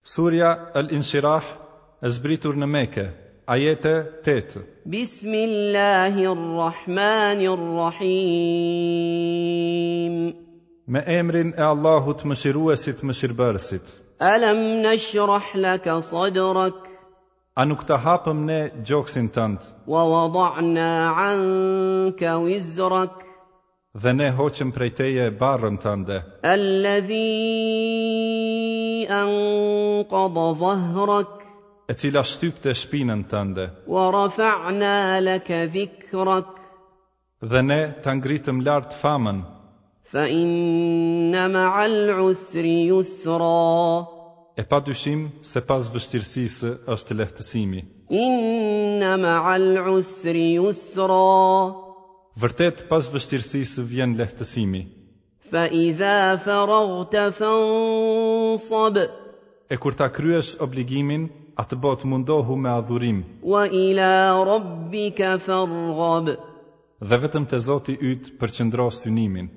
Surja Al-Inshirah e zbritur në Mekë, ajete 8. Bismillahirrahmanirrahim. Me emrin e Allahut Mëshiruesit Mëshirbërësit. Alam nashrah laka sadrak? A nuk ta hapëm ne gjoksin tënd? Wa wada'na 'anka wizrak? Dhe ne hoqëm prej teje barrën tënde. Alladhi anqadha dhahrak. E cila shtypte shpinën tënde. Wa rafa'na laka dhikrak. Dhe ne ta ngritëm lart famën. Fa inna ma'al usri yusra. E pa dyshim se pas vështirësisë është lehtësimi. Inna ma'al usri yusra. Vërtet pas vështirësisë vjen lehtësimi. Fa idha faraghta fansab. E kur ta kryesh obligimin, atëbotë mundohu me adhurim. Wa ila rabbika farghab. Dhe vetëm te Zoti yt përqendro synimin.